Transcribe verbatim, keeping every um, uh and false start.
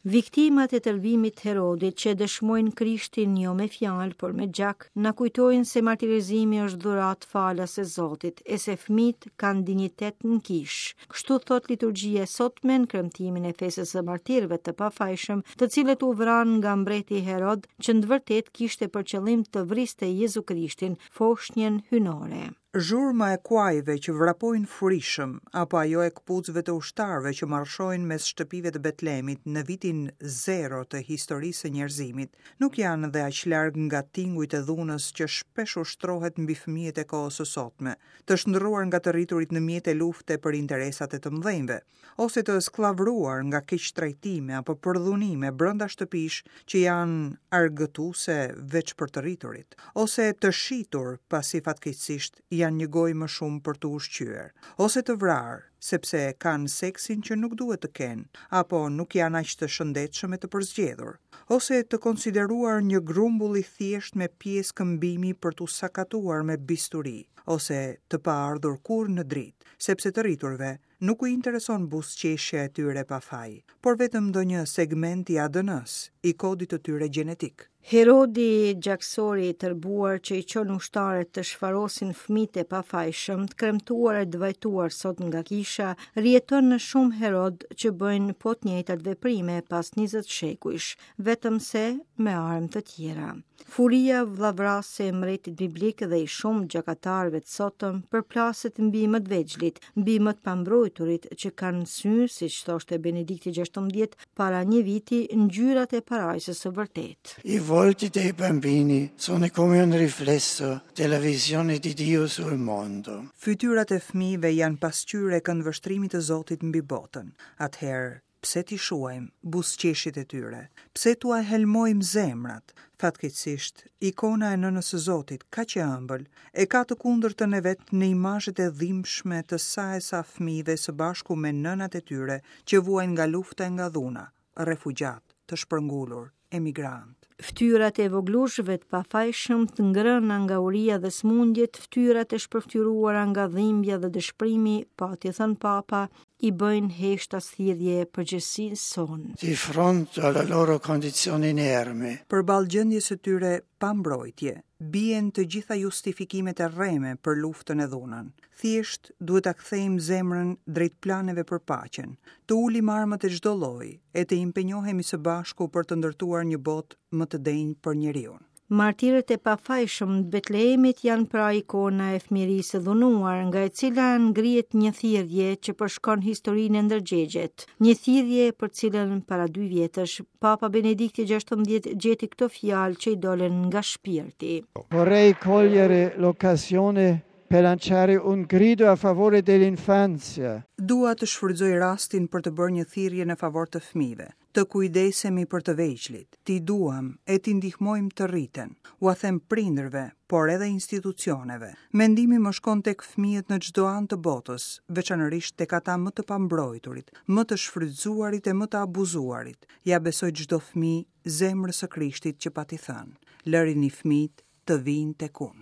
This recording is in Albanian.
Viktimat e tërbimit të Herodit që dëshmojnë Krishtin jo me fjalë, por me gjak, na kujtojnë se martirizimi është dhuratë falas e Zotit, e se fëmijët kanë dinjitet në kishë. Kështu thot liturgjia e sotme në kremtimin e festës së martirëve të pafajshëm, të cilët u vranë nga mbreti Herod, që në të vërtetë kishte për qëllim të vriste Jezu Krishtin, foshnjën hyjnore. Zhurma e kuajve që vrapojnë furishëm, apo ajo e këpucëve të ushtarëve që marshojnë mes shtëpive të Betlemit në vitin zero të historisë së njerëzimit, nuk janë dhe aq larg nga tingujt e dhunës që shpesh ushtrohet mbi fëmijët e kohës së sotme, të shndërruar nga të rriturit në mjete lufte për interesat e të mëdhenjve, ose të skllavëruar nga keqtrajtime apo përdhunime brenda shtëpish që janë argëtuese veç për të rriturit, ose të shitur pasi fatkeqësisht janë një gojë më shumë për të ushqyer, ose të vrarë, sepse kanë seksin që nuk duhet të kenë, apo nuk janë aq të shëndetshëm e të përzgjedhur, ose të konsideruar një grumbull i thjeshtë me pjesë këmbimi për t'u sakatuar me bisturi, ose të paardhur kurrë në dritë, sepse të rriturve nuk u intereson buzëqeshja e tyre pa faj, por vetëm ndonjë segment i A D N-s, i kodit të tyre gjenetik. Herodi, gjaksori i tërbuar që i çon ushtarët të shfarosin fëmijët e pafajshëm, të kremtuar e të vajtuar sot nga kisha, rjeton në shumë Herod që bëjnë po të njëjtat veprime pas njëzet shekujsh, vetëm se me armë të tjera. Furia vllavrase e mbretit biblik dhe i shumë gjakatarëve të sotëm përplaset mbi më të vegjlit, mbi më të pambrojturit që kanë sy, siç thoshte Benedikti gjashtëmbëdhjetë para një viti, ngjyrat e parajsës së vërtetë. I volti dei bambini sono come un riflesso della visione di Dio sul mondo. Fytyrat e fëmijëve janë pasqyrë e këndvështrimit të Zotit mbi botën. Atëherë, pse t'i shuajmë buzëqeshjet e tyre? Pse t'ua helmojmë zemrat? Fatkeqësisht, ikona e nënës së Zotit, kaq e ëmbël, e ka të kundërtën e vet në imazhet e dhimbshme të sa e sa fëmijëve së bashku me nënat e tyre që vuajnë nga lufta e nga dhuna, refugjat, të shpërngulur, emigrantë. Fytyrat e voglushëve të pafajshëm të ngrëna nga uria dhe smundjet, fytyrat e shpërfytyruara nga dhimbja dhe dëshpërimi, pati thënë Papa, i bëjnë heshtas thirrje përgjegjësisë sonë. Di fronte alla loro condizione inerme. Përballë gjendjes së tyre pa mbrojtje, bien të gjitha justifikimet e rreme për luftën e dhunën. Thjesht duhet ta kthejmë zemrën drejt planeve për paqen, të ulim armët e çdo lloji e të impenjohemi së bashku për të ndërtuar një botë më të denjë për njeriun. Martirët e pafajshëm të Betlehemit janë pra ikona e fëmijërisë së dhunuar, nga e cila ngrihet një thirrje që përshkon historinë e ndërgjegjet. Një thirrje për cilën para dy vjetësh Papa Benedikti gjashtëmbëdhjetë gjeti këto fjalë që i dolën nga shpirti. Vorrei cogliere l'occasione per lanciare un grido a favore dell'infanzia. Dua të shfrytëzoj rastin për të bërë një thirrje në favor të fëmijëve, të kujdesemi për të vegjlit, t'i duam e t'i ndihmojmë të rriten. Ua them prindërve, por edhe institucioneve. Mendimi më shkon tek fëmijët në çdo anë të botës, veçanërisht tek ata më të pambrojturit, më të shfrytëzuarit e më të abuzuarit. Ja besoj çdo fëmijë zemrës së Krishtit që pati thënë: "Lërini fëmijët të vinë tek unë."